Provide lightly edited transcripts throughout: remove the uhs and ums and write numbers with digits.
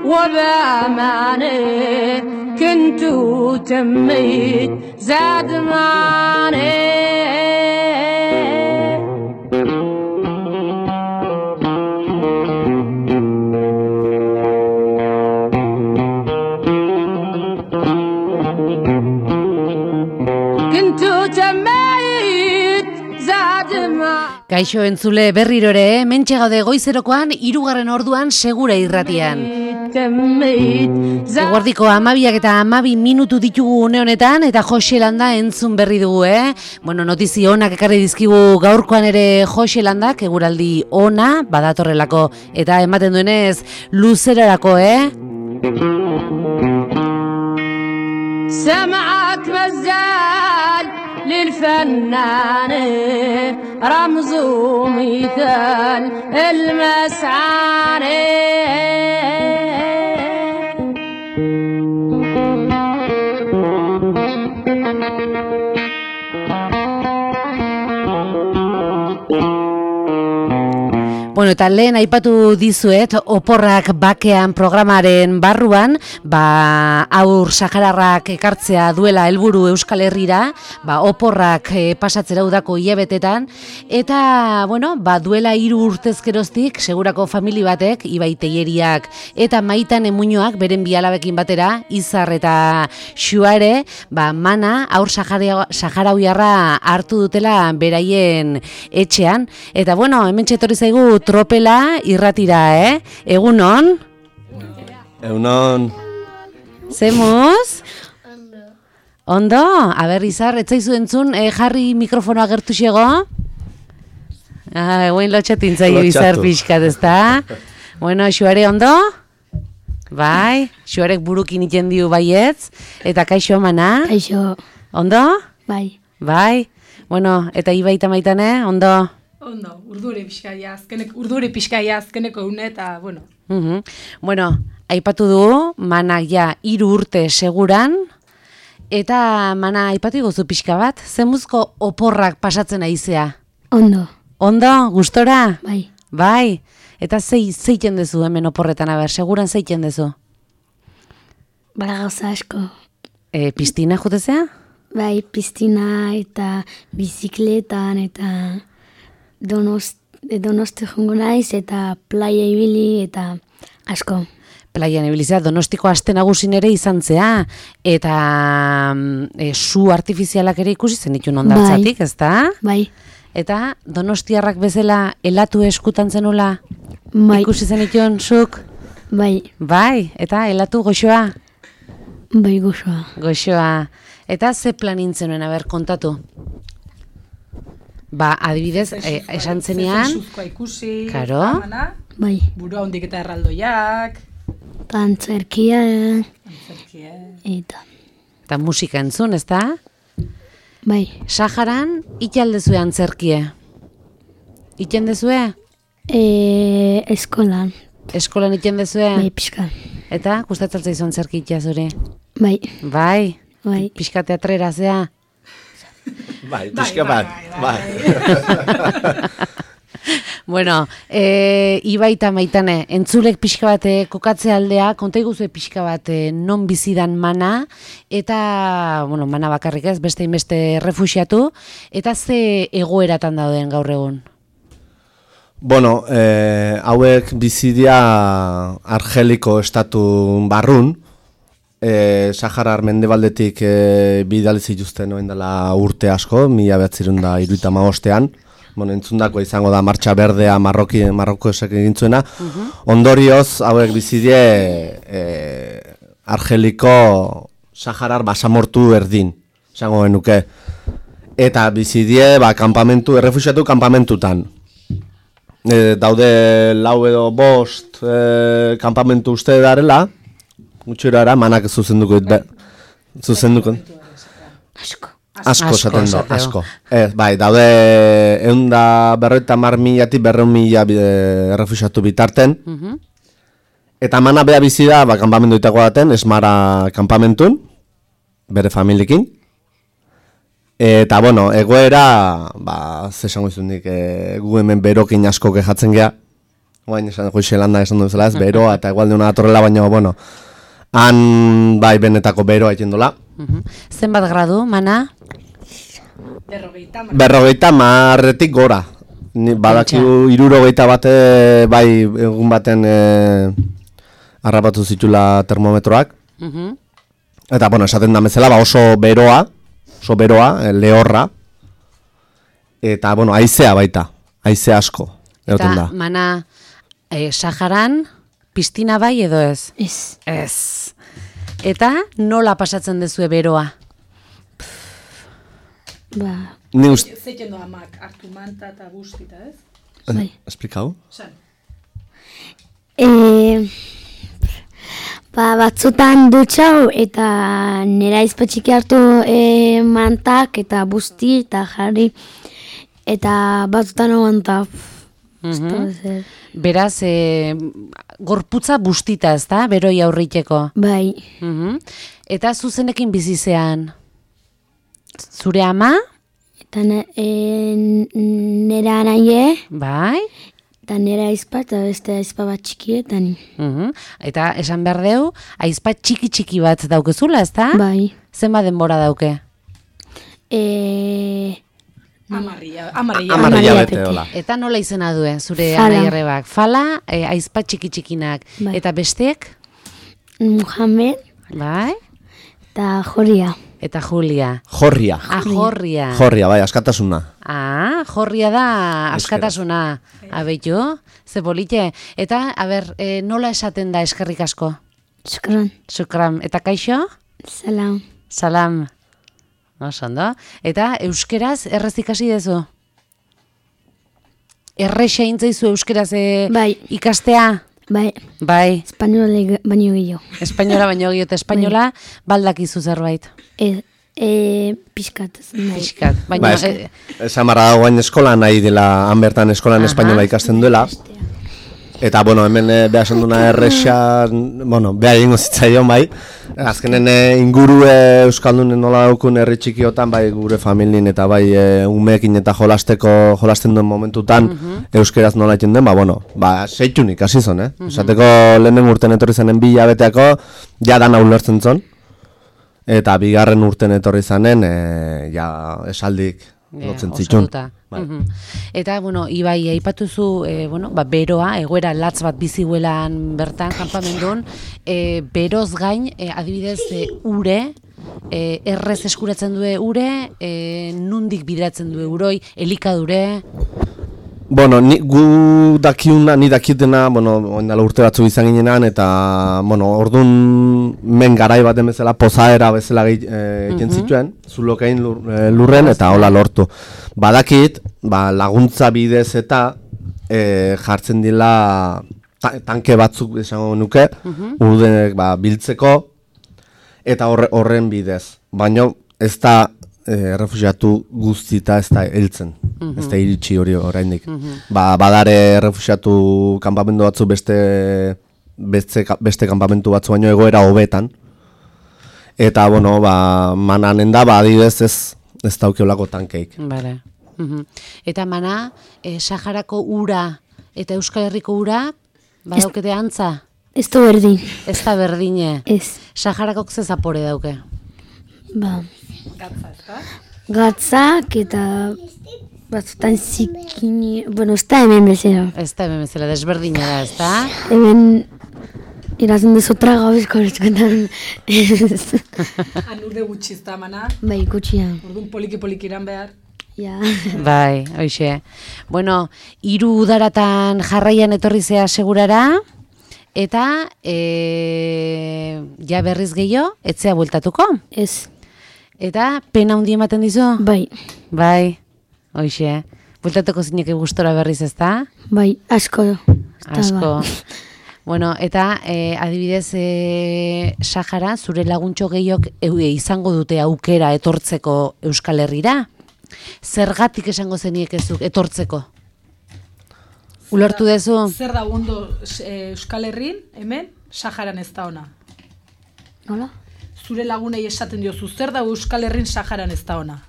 وبأمانه كنت تميت زاد ماني Kaixo entzule berriro ere, mentxe gaude goizerokoan, 3. orduan segura irratian. Eguerdiko 12 eta 12 minutu ditugu une honetan, eta Jose Landa entzun berri dugu, Bueno, notizi onak ekarri dizkigu gaurkoan ere Jose Landak, eguraldi ona, badatorrelako, eta ematen duenez, luzerarako, سمعك مزال للفنان رمز ومثال المسعاني Bueno, eta lehen aipatu dizuet, oporrak bakean programaren barruan, aur sahararrak ekartzea duela helburu Euskal Herrira, oporrak pasatzera udako hilabetetan, eta, bueno, duela 3 urtez geroztik, segurako famili batek, Ibai Teieriak eta Maitan Emuñoak, beren bi alabekin batera, Izar eta Xuare, mana aur saharauiarra hartu dutela beraien etxean, eta, bueno, hemen txetorri zaigu tropela irratira, Egunon? Egunon. Zemuz? Ondo? Aber, Izar, etzaizu entzun, jarri mikrofonoa gertu xego? Eguen lotxatin zaio Izar pixkat, ezta? Bueno, Xuare, ondo? Bai, Xuarek burukin iten diu baietz, eta kaixo mana? Kaixo. Ondo? Bai. Bai? Bueno, eta Ibai eta Maitane, ondo? Ondo, urdure pixkaia azkeneko une eta, bueno. Bueno, aipatu du, mana ja 3 urte seguran, eta mana aipatu iguzu pixka bat, zemuzko oporrak pasatzen aizea? Ondo. Ondo, gustora? Bai. Bai, eta zeiten dezu hemen oporretan, seguran zeiten dezu? Bara gauza asko. Piztina jutezea? Bai, piztina eta bizikletan eta... Donosti jongo naiz eta playa ibili eta asko. Plaian ibilizea, Donostiko aste nagusin ere izan zea, eta su artifizialak ere ikusi zen ditun ondartzatik, ezta? Bai. Eta Donostiarrak bezala elatu eskutan zenula ikusi zen ditun zuk? Bai. Bai, eta elatu goxoa? Bai, goxoa. Goxoa. Eta ze planin zenuen, kontatu? Adibidez, esan zenean... Zezuzkoa ikusi, karo? Bai. Burua hondik eta erraldoiak... Antzerkia. Eta musika entzun, ezta? Bai. Saharan, italdezue antzerkie? Itendezue? Eskolan. Eskolan itendezue? Bai, pixka. Eta, gustatzen zaizu antzerki itzazure? Bai. Bai? Bai. Pixka teatrera zea? Bai, pixka bat. Bai. Bueno, Ibai eta Maitane, entzulek pixka bat kokatzea aldea, konta iguzue pixka bat non bizidan mana, eta, bueno, mana bakarrik ez, beste inbeste refuxiatu, eta ze egoeratan dauden gaur egun? Bueno, hauek bizidia Argeliko estatu barrun, Saharar mendebaldetik bidali zituzten oen dela urte asko, 1975ean, entzundako izango da Martxa Berdea Marroko esek egintzuena. Ondorioz, hauek bizidie Argeliko Saharar basamortu erdin, izango genuke. Eta bizidie kanpamentu, errefuxiatu kanpamentutan. Daude 4 edo 5 kanpamentu uste darela, gutxura manak zuzenduko. Asko esaten do, asko. Bai, daude 150.000 200.000 errefuxiatu bitarten. Eta mana bea bizi da, kanpamentu itako daten, Esmara kanpamentun, bere familiekin. Eta, bueno, egoera, zesango izundik, gu hemen berokin asko kejatzen gea. Oain esan Goizelanda esan duzela ez, beroa eta igual deuna datorrela, baina, bueno, han bai benetako beroa egin dola. Zenbat gradu, Mana? 50 marretik gora. Badakigu 60 bate, bai egun baten harrapatu zitula termometroak. Eta, bueno, esaten da bezala, ba oso beroa, lehorra. Eta, bueno, haizea baita, haize asko. Eta, Mana, Saharan, piztina bai edo ez? Ez. Ez. Eta nola pasatzen dezue beroa? Ba, Ni uste... Zeiten doa amak, hartu manta eta guztita, ez? bai. Esplikau? San. Batzutan dutxau eta nera izpatxiki hartu mantak eta busti eta jarri eta batzutan aguanta. Beraz, gorputza bustita ez da, beroi aurriteko. Bai, Eta zuzenekin bizizean, zure ama? eta nera anaie Bai? eta nera aizpa eta beste aizpa bat txikietan. Eta esan behar deu, aizpa txiki bat daukezula, ez da? Bai. Zenba denbora dauke? Amarria bete hola. Eta nola izena due, zure Fala. anaierrebak? Fala, aizpa txikinak. Bai. Eta besteek? Muhammed Bai? eta Joria. Eta Julia. Jorria. Jorria. Jorria, bai, askatasuna. Jorria da askatasuna. Abeitu, ze polite. Eta, nola esaten da eskerrik asko? Shukran. Shukran. Eta kaixo? Salam. Salam. Oso ondo. Eta euskeraz errez ikasi dezu? Errexa intzaizu euskeraz Bai. ikastea? Bai, Bai. espainola baino gehiago. Espainola baino gehiago eta espainola baldakizu zerbait. Pixkat. Nahi. Pixkat. Baina, Esan barra dagoen eskola nahi dela, han bertan eskolan espainola ikasten duela. Eta, bueno, hemen beha esan duna errexa, bueno, beha egingo zitzaion, bai. Azkenen inguru euskaldunen nola daukun herri txikiotan, bai gure familien eta bai umeekin eta jolasten duen momentutan euskeraz nola egiten den, ba, bueno, ba, seitunik hasi zon, Esateko lehenen urten etorri zenen 2 hilabeteako, ja dana ulertzen zon. Eta 2. urten etorri zanen, ja esaldik lotzen zitun. Eta, bueno, Ibai, aipatuzu, beroa, egoera latz bat biziuelan bertan, kanpamendun, beroz gain, adibidez, ure, errez eskuratzen due ure, nundik bideratzen due uroi, elikadure... Bueno, ni dakitena, oindala urte batzu izan ginenan, eta, ordun men garai baten bezala, pozaera bezala egiten zituen, zulokein lurren, eta hola lortu. Badakit, laguntza bidez eta jartzen dila tanke batzuk esango nuke, urdenek biltzeko, eta horren bidez. Baina ez da errefuxiatu guztita ez da heltzen, ez da iritsi hori oraindik. Badare errefuxiatu kanpamentu batzu beste kanpamentu batzu baino egoera hobetan. Eta, mananen da, adibidez ez daukeolako tankeik. Bale. Eta Mana, Saharako ura eta Euskal Herriko ura, badaukete antza? Ez da berdin. Ez da berdine. Ez. Saharakok ze zapore dauke? Gatzak eta batzutan zikini... Bueno, ez da hemen bezala. Ez da hemen bezala, desberdina da, ez da? Hemen irazen dezu traga bezko horretkoetan. Han urde gutxi ez da, Mana. Bai, gutxia. Orduan poliki iran behar. Ja. Bai, hoxe. Bueno, 3 udaratan jarraian etorri zea segurara, eta ja berriz gehiago, etzea bueltatuko. Ez. Eta pena hundi ematen dizu? Bai. Bai, hoxe. Bueltatuko zineke gustora berriz, ez da? Bai, asko. Asko. Bueno, eta adibidez Sahara, zure laguntxo gehiok izango dute aukera etortzeko Euskal Herrira? Zergatik esango zeniekezuk etortzeko? Ulertu dezu? Zer da ondo Euskal Herrin, hemen, Saharan ez da ona? Nola? Zure lagunei esaten diozu, zer da Euskal Herrin Saharan ez da ona?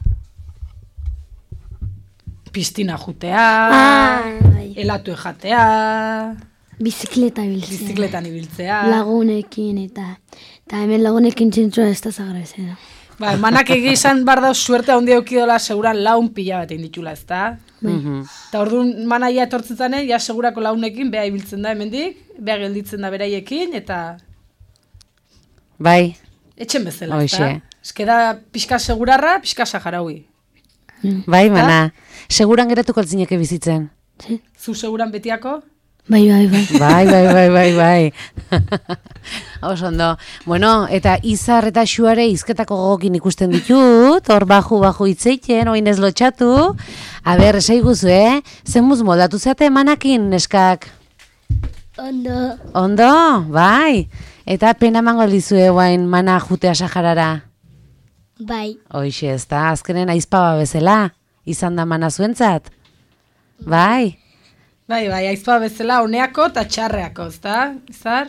Piztina jutea... Bai. Elatu ejatea, Bizikleta ibiltzea. bizikletan ibiltzea. Lagunekin eta hemen lagunekin txintxoa ez da zagrezena. Ba, emanak egizan bar dauz suerte handi eukidola seguran laun pila bat ditula, ezta? Eta orduan manaia etortzetan, ja segurako launekin, beha ibiltzen da hemendik, beha gelditzen da beraiekin, eta Bai, etxen bezala, ezta? Hoxe. Eske da pixka segurarra, pixka saharaui. bai, mana. Seguran geratuko altzineke bizitzen. Zu seguran betiako? Bai. Bai. Oso ondo. Bueno, eta Izar eta Xuare hizketako gogokin ikusten ditut, hor baju hitzeiten, oin ez lotxatu. A ber, esaiguzu, Zemuz moldatu zeate emanakin, neskak? Ondo, bai. Eta pena emango dizue guain mana jutea Saharara. Bai. Hoixe, ez da, azkenen aizpaba bezala, izan da mana zuentzat. Bai. Bai, aizpa bezala honeako eta txarreako, ezta? Izar?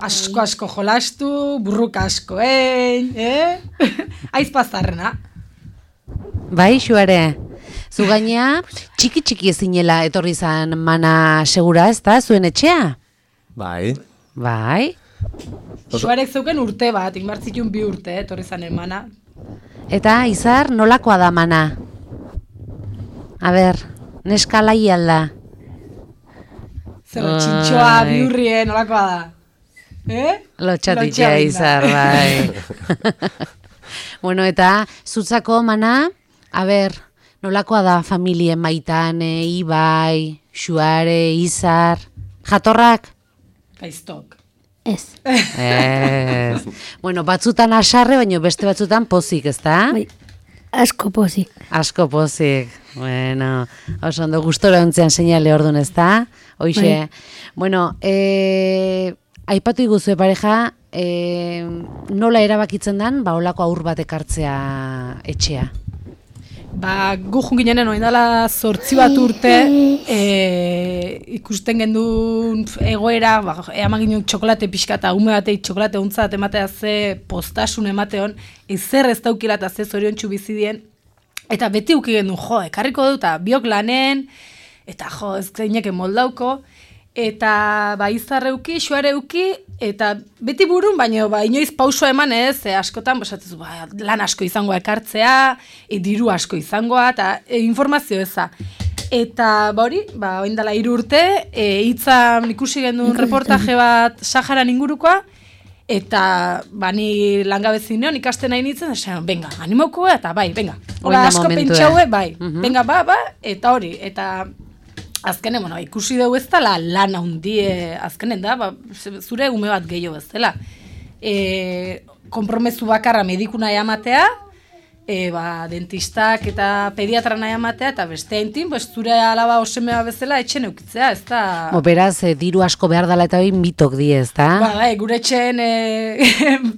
Asko jolastu, burruka askoen, Aizpa zarrena. Bai, Xuare. Zu gainea, txiki ezinela etorri zan mana segura, ez da, zuen etxea? Bai. Bai. Xuarek zeuken urte bat, inbartzitun 2 urte, etorri zan emana. Eta, Izar, nolakoa da mana? A ber, neska lai alda. Zer, txintxoa, biurrie, nolakoa da? Lotxatitia, Izar, bai. Bueno, eta, zutzako mana, a ber, nolakoa da familien Maitane, Ibai, Xuare, Izar, jatorrak? Gaiztok. Ez. Ez. Bueno, batzutan asarre, baina beste batzutan pozik, ezta? Bai. Asko pozik. Asko pozik. Bueno, oso ondo gustora ontzean seinale ordun, ezta? Hoixe. Bueno, aipatu iguzue pareja, nola erabakitzen dan, holako aur bat ekartzea etxea? Ba, gu junginen oindala 8 bat urte, ikusten gendun egoera, eaman ginen txokolate pixka eta ume batei txokolate untzat ematea ze postasun emateon, ezer ez daukila eta ze zorion txubizidien, eta beti uki gendun, ekarriko dut, eta biok lanen, eta ez zeineken moldauko, eta Izarreuki, Xuareuki, eta beti burun, baina inoiz pausua eman ez, askotan, esatzu, lan asko izangoa ekartzea, diru asko izangoa, eta informazio eza. Eta hori, oindala 3 urte, hitzan ikusi gendun reportaje bat Saharan ingurukoa, eta ni langabezi neon ikasten nahi nintzen, esan, venga, animoko, eta bai, venga. Hola, asko pentsaue, bai, venga, eta hori, eta azkenen, ikusi dugu ez dela lan handie, azkenen da, zure ume bat gehiago ez dela. Konpromezu bakarra medikuna ematea, dentistak eta pediatra nahi ematea, eta beste haintin, zure alaba osemea bezala etxen eukitzea, ez da... Beraz, diru asko behar dela eta hori mitok di, ez da? Gure etxen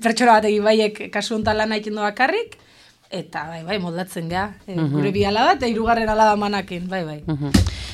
pertsona bat egin kasu honetan lan haitzen du bakarrik, eta moldatzen geha, gure bi alaba eta 3. alaba manakin,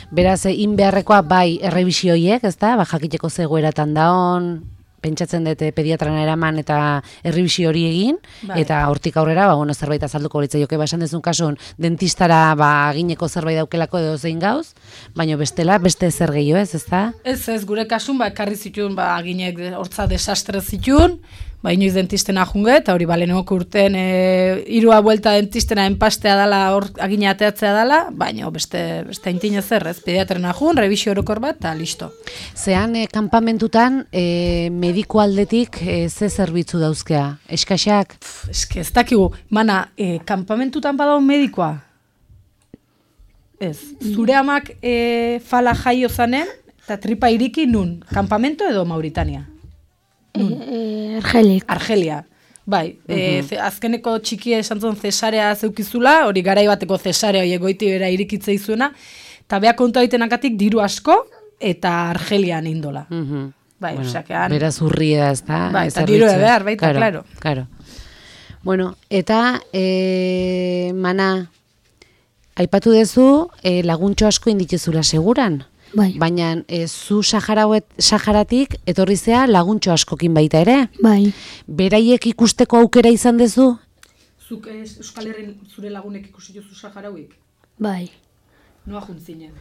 Beraz, beharrekoa errebisioiek, ez da? Jakiteko zegoeratan daon, pentsatzen dute pediatrana eraman eta errebisio hori egin, eta hortik aurrera, zerbait azalduko litzai joke, esan dezun kasun, dentistara agineko zerbait daukelako edo zein gauz, baina bestela, beste zer gehiago ez da? Ez, gure kasun, ekarri zituen, aginek hortza desastre zituen, inoiz dentistena junge, eta hori lehenoko urten 3 buelta dentistena enpastea dela, hor agina ateatzea dela, baina beste haintin ezer, ez, pediatrena jun, revisio orokor bat, eta listo. Zean, kanpamentutan, mediku aldetik ze zerbitzu dauzkea? Eskaxak? Eske, ez dakigu, kanpamentutan badaun medikoa? Ez, zure amak fala jaio zanen, eta tripa iriki nun, kanpamento edo Mauritania? Argelia. Azkeneko txikia esan zuen cesarea zeukizula, hori garai bateko cesarea egoiti bera irikitze izuena, eta beha kontu aitenak diru asko, eta Argelian indola. Beraz urria ez da? Eta diru behar, baita, klaro. Bueno, eta, mana, aipatu dezu, laguntxo asko inditezula seguran? Baina zu Saharatik etorrizea laguntxo askokin baita ere? Bai. Beraiek ikusteko aukera izan dezu? Zuk Euskal Herrin zure lagunek ikusi jozu Saharauik? Bai. Noa juntzinen.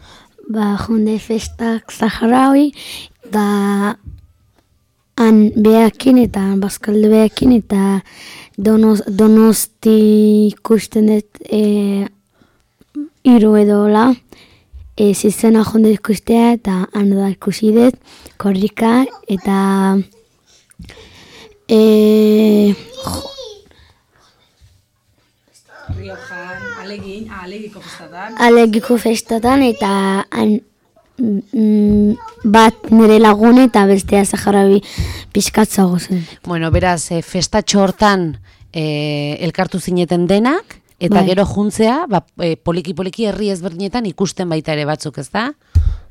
Ba, junde festak Zaharaui, da han behakin eta bazkalde behakin eta Donosti ikusten dut hiru edo la. Zizena jonde ikustea eta han da ikusi dut, korrika eta Riojan, alegiko festatan. Alegiko festatan eta han bat nire lagun eta bestea Zaharaui pixkatzago zen. Bueno, beraz, festatxo hortan elkartu zineten denak, eta Bai. gero juntzea, poliki-poliki herri ezberdinetan ikusten baita ere batzuk, ez da?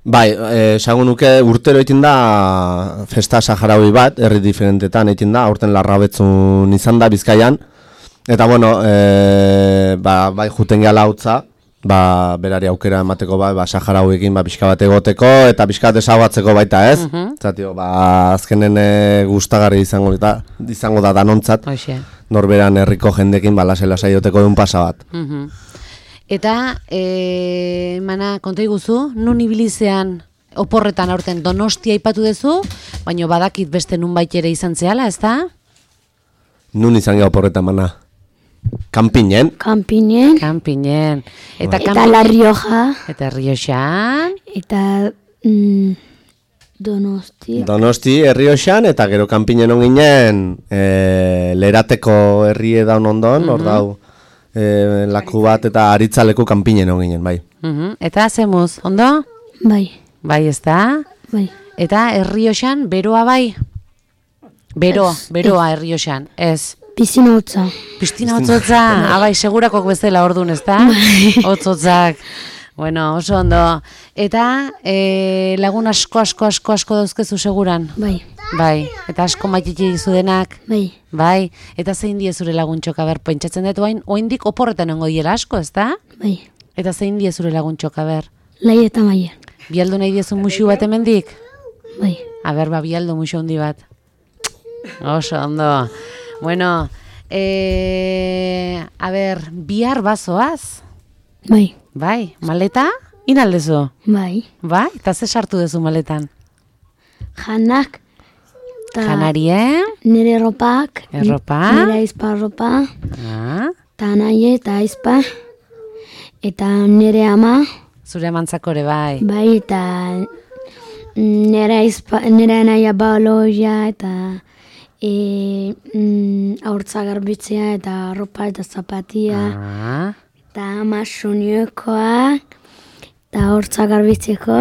Bai, esango nuke urtero egiten da festa Saharaui bat, herri diferentetan egiten da, aurten Larrabetzun izan da Bizkaian. Eta bueno, bai juten gehala hautza, berari aukera emateko Saharauekin pixka bat egoteko eta pixka bat ezaguatzeko baita, ez? Zatio, azkenen gustagarri izango da danontzat, Hoxe. norberan herriko jendekin lasai joteko duen pasa bat. Eta, mana, konta iguzu, nun ibilizean oporretan aurten Donostia aipatu duzu, baina badakit beste nunbait ere izan zehala, ez da? Nun izan geha oporreta mana? Kanpinen? Kanpinen, Kanpinen. Eta, eta La Rioja, Eta Rioxan. eta Donosti. Donosti Errioxan eta gero kanpinen on ginen Lerateko herrie daun ondon, hor dau laku bat eta aritzaleku kanpinen on ginen, bai. Eta zemuz, ondo? Bai, Bai, ez da? bai. Eta Errioxan, beroa bai? Beroa Errioxan, ez. Pisina hotza. Pistina hotzotza, abai, segurakok bezala ordun, ez da? Hotzotzak. Bueno, oso ondo. Eta lagun asko dauzkezu seguran? Bai, Bai, eta asko maititi dizu denak? bai. Bai, eta zein die zure laguntxoka, ber, pentsatzen dut oindik oporretan ongo diela asko, ez da? Bai, Eta zein die zure laguntxoka, ber? Lai eta Maian. Bialdu nahi diezu musu bat hemendik? Bai, Aber, bialdu musu handi bat. Oso ondo. Bueno, bihar bazoaz? bai, Bai, maleta? Inaldezu? bai. Bai, eta ze sartu duzu maletan? Janak, eta Janarie? nire ropak, Erropa? nire aizpa ropa, Ah, eta naie eta aizpa, eta nire ama, zure amantzakore bai. bai, eta nire naia baloia, eta aurtza garbitzea, eta ropa eta zapatia, Ah, eta ama suniokoa, eta aurtza garbitzeko,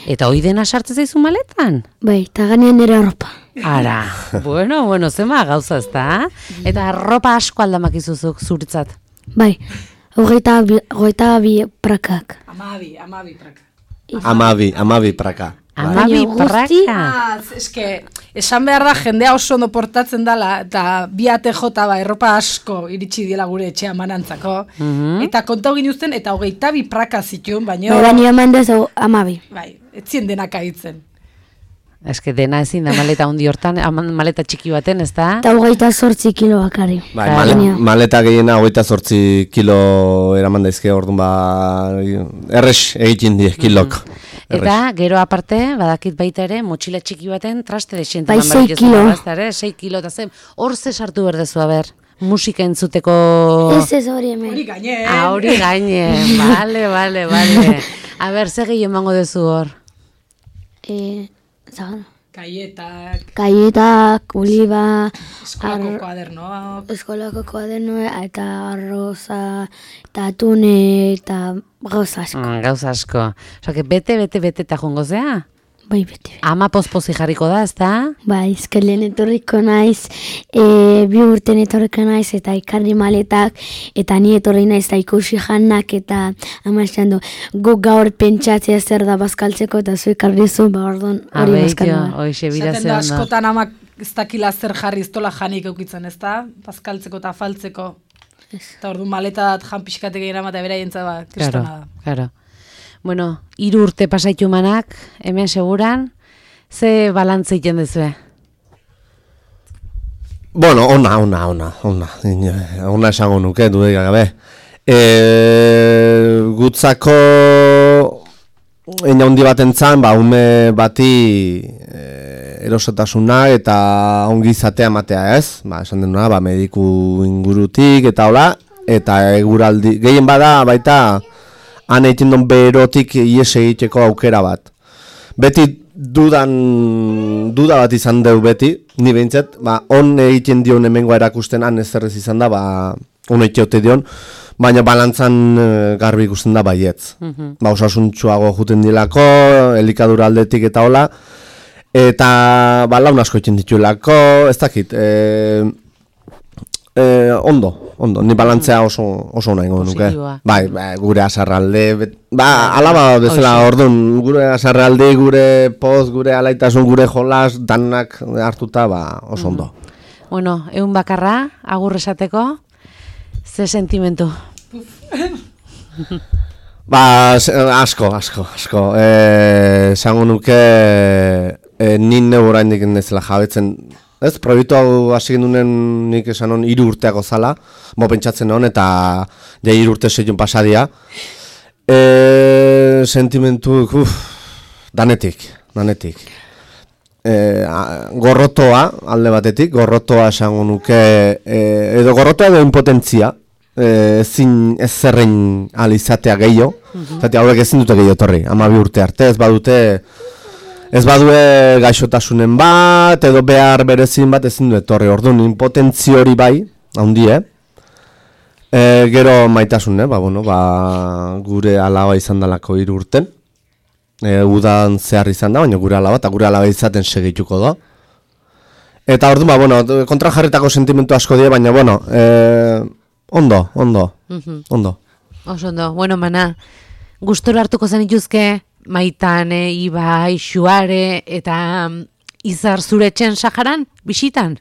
eta hoi dena sartzen zaizu maletan? bai, eta ganean nire ropa. Ara, bueno, zema gauza ez da? Eta ropa asko aldamakizuzuk zuritzat. Bai, hogeita bi prakak. Amabi praka. Amabi praka. Amabi Baina guzti- praka. Eske, esan behar da jendea oso ondo portatzen dala, eta bi ATJ erropa asko iritsi diela gure etxea manantzako. Eta kontau ginuzten, eta 22 praka zituen, baina, Bai, baina eman dezu amabi. bai, etzien denak aitzen. Eske dena ezin da maleta handi hortan, maleta txiki baten, ez da? Eta 28 kilo bakari. Bai, Baina- maleta gehiena 28 kilo eraman daizke, orduan errex egiten die kilok. Eta gero aparte, badakit baita ere, motxila txiki baten traste desiente. Bai, 6 kilo. 6 kilo, eta zen, hor ze sartu berdezu, aber, musika entzuteko... Ez hori hemen. Hori gaine, Hori gaine, bale. Aber, ze gehi emango dezu hor? Zagan. kaietak, Kaietak, oliba, eskolako kuadernoak, eskolako kuadernoa, eta arroza, eta atune, eta gauza asko. Gauza asko. Osa, bete eta jongo zea? Bai, beti. Ama pospozi jarriko da, ez da? Bai, ezkerlen etorriko naiz, 2 urten etorriko naiz, eta ikarri maletak, eta ni etorri naiz, eta ikusi janak, eta amaxan du, guk gaur pentsatzea zer da bazkaltzeko, eta zu ikarri zu, orduan hori bazkaldu. Hoxe, bira esaten ze da ondo. askotan amak ez dakila zer jarri ez dola janik eukitzen, ez da? Bazkaltzeko eta faltzeko. Eta ordu maleta dat jan pixkatek egin amata beraientza ba, kristona da. Claro. Bueno, 3 urte pasaitu manak, hemen seguran, ze balantze egiten dezue? Bueno, ona esango nuke, dudarik gabe. Gutzako eina handi bat entzan, ume bati erosotasuna eta ongi izatea matea, ez? Esan denuna, mediku ingurutik eta hola, eta eguraldi, gehien bada baita han egiten duen berotik ies egiteko aukera bat. Beti duda bat izan deu beti, ni behintzat, on egiten dion hemengoa erakusten han ezerrez izan da, on egiteote dion, baina balantzan garbi ikusten da baietz. Osasuntxuago juten dilako, elikadura aldetik eta hola, eta laun asko egiten dituelako, ez dakit, ondo, ni balantzea oso nahi nuke. Bai, gure asarralde, alaba bezala orduan, gure asarralde, gure poz, gure alaitasun, gure jolas, danak hartuta, oso ondo. Bueno, egun bakarra, agur esateko, ze sentimentu? Asko. Esango nuke, nine oraindik nezela jabetzen, ez, proiektu hau hasi gendunen nik esan hon 3 urteako zala, pentsatzen hon, eta 3 urte 6 pasadia. Sentimentu, danetik. Gorrotoa, alde batetik, gorrotoa esango nuke, edo gorrotoa edo impotentzia, ezin ez zerrein alizatea gehiago, zati hauek ezin dute gehiago torri, 12 urte arte, ez badue gaixotasunen bat, edo behar berezin bat ezin du etorri. Orduan, impotentzi hori bai, handie. Gero maitasun, gure alaba izan dalako 3 urten. Udan zehar izan da, baina gure alaba, eta gure alaba izaten segituko da. Eta orduan, kontra jarritako sentimentu asko die, baina, ondo. Oso ondo, mana, gustora hartuko zen ituzke, Maitane, Ibai, Xuare eta Izar zure etxen Saharan, bisitan?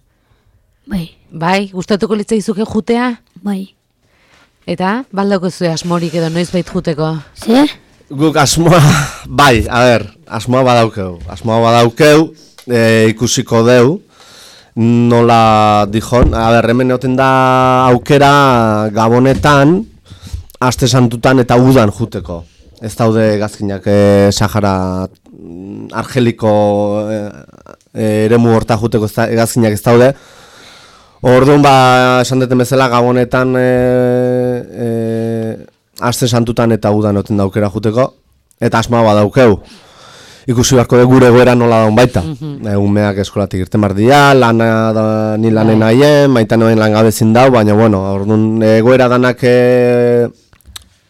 Bai, gustatuko litzaizuke jutea? Bai. Eta, baldauko zuen asmorik edo noiz bait juteko? Ze? Guk asmoa, asmoa badaukeu, ikusiko deu, nola dijon, hemen egoten da aukera Gabonetan, aste santutan eta udan juteko. Ez daude gazkinak Sahara argeliko eremu horta juteko gazkinak ez daude. Orduan esan deten bezala Gabonetan aste santutan eta udan oten daukera juteko. Eta asmoa badaukeu. Ikusi beharko de gure goera nola daun baita. Umeak eskolatik irten bardia, ni lanen haien, Maitan noen langabezin dau, baina orduan goera danak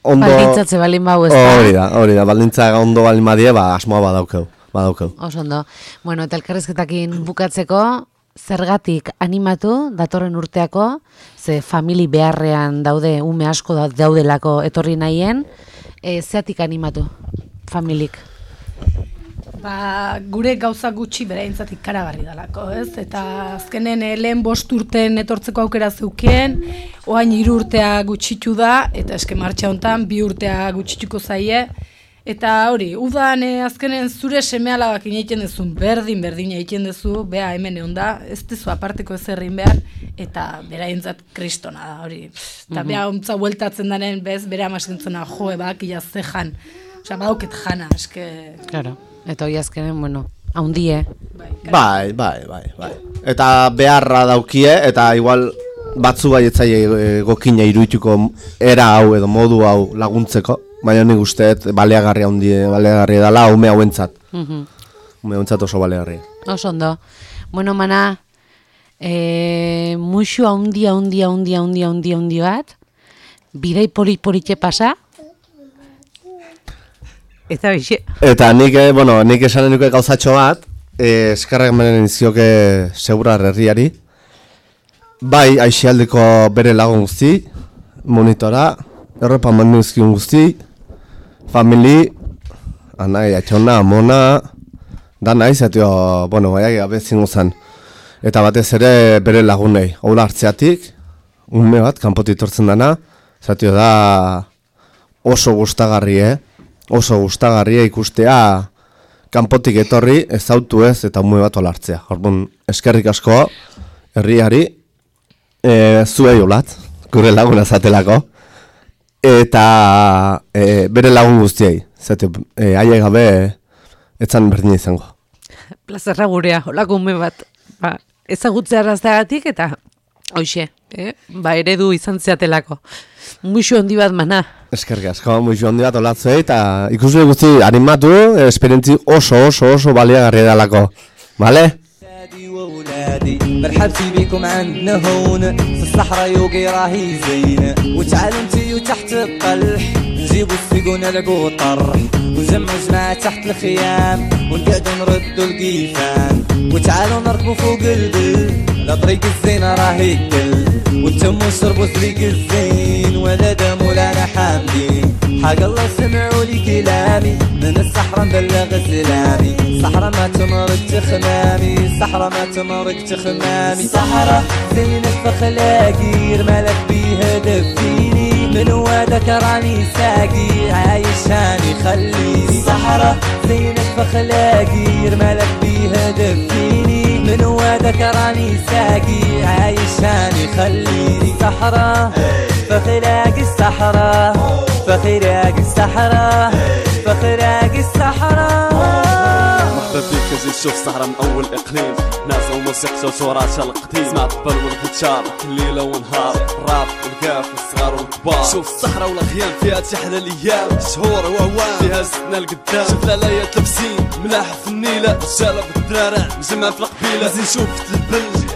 ondo... Baldintzatze balin bau ez da. Hori da, baldintza ondo balin badie, asmoa badaukeu. Oso ondo. Eta elkarrizketakin bukatzeko, zergatik animatu datorren urteako, ze famili beharrean daude, ume asko daudelako etorri nahien, zeatik animatu familik? Gure gauza gutxi bereintzat ikaragarri dalako, ez? Eta azkenen lehen 5 urten etortzeko aukera zeukien, oain 3 urtea gutxitu da, eta eske martxa hontan 2 urtea gutxituko zaie. Eta hori, udan azkenen zure seme-alabak egiten dezun, berdin egiten dezu, bea hemen egon da, ez dezu aparteko ezerrin behar, eta beraientzat kristona da, hori. Eta bea ontza bueltatzen daren, bez, bere amasentzona joe bak, ia zejan, osea, badauket jana, eske... Claro. Eta hori azkenen, haundie. Bai. Eta beharra daukie, eta igual batzu bai etzai gokina iruituko era hau edo modu hau laguntzeko, baina nik usteet baleagarria dela ume hauentzat. Ume hauentzat oso baleagarria. Oso ondo. Mana, muixu haundi bat, bidei politxe pasa, Eta nik esanen nuke gauzatxo bat, eskarrak menen izioke Segura herriari. Bai, aixialdeko bere lagun guzti, monitora, errepa manuzkiun guzti, famili, anai, atxona, amona, da nahi, zatio, baiak abezin guzan. Eta batez ere bere lagunei, hola hartzeatik, ume bat, kanpotitortzen dana, zatio da oso gustagarri, Oso gustagarria ikustea kanpotik etorri, ezautu ez eta ume bat olartzea. Orduan, eskerrik asko, herriari, zuei olat, gure laguna zatelako. eta bere lagun guztiei. Zate, haiek gabe etzan berdin izango. Plazerra gurea, holako ume bat, ezagutzea arrazteagatik eta hoxe, eredu izan zeatelako. Muixo handi bat mana. Eskerrik asko, muixo handi bat olatzuei eta ikusle guzti animatu, esperientzi oso baliagarria dalako. Vale? وولادي مرحبتي بكم عندنا هون في الصحراء يوقي راهي زين وتعالوا انتيو تحت الطلح نجيبوا السيق ونلعبوا الطرح ونجمعوا جماعة تحت الخيام ونقعدوا نردوا القيفان وتعالوا نركبوا فوق البل لا طريق الزينة راهي الكل وانتم شربوا طريق الزين ولا دام ولا انا حامدين حق الله سمعوا لي كلامي من الصحراء نبلغ سلامي صحراء ما تمرق تخمامي صحراء ما تمرق تخمامي صحراء زينة فخلاقي رمالك بيها دفيني من وادك راني ساقي عايش هاني خليني صحراء زينة فخلاقي رمالك بيها دفيني من وادك راني ساقي عايش هاني خليني صحراء فخلاقي الصحراء فخلاقي الصحراء فخلاقي الصحراء مرحبا بك زي تشوف الصحراء من اول اقليم ناس وموسيقى وتراثها القديم سمع الطبل والجيتار ليله ونهار الراب والكاف والصغار والكبار شوف الصحراء والاخيام فيها تحلى الايام شهور وهوام فيها زدنا القدام شوف لالايات لابسين ملاح في النيله رجاله بالدرارع مجمع في القبيله زين شوف البلج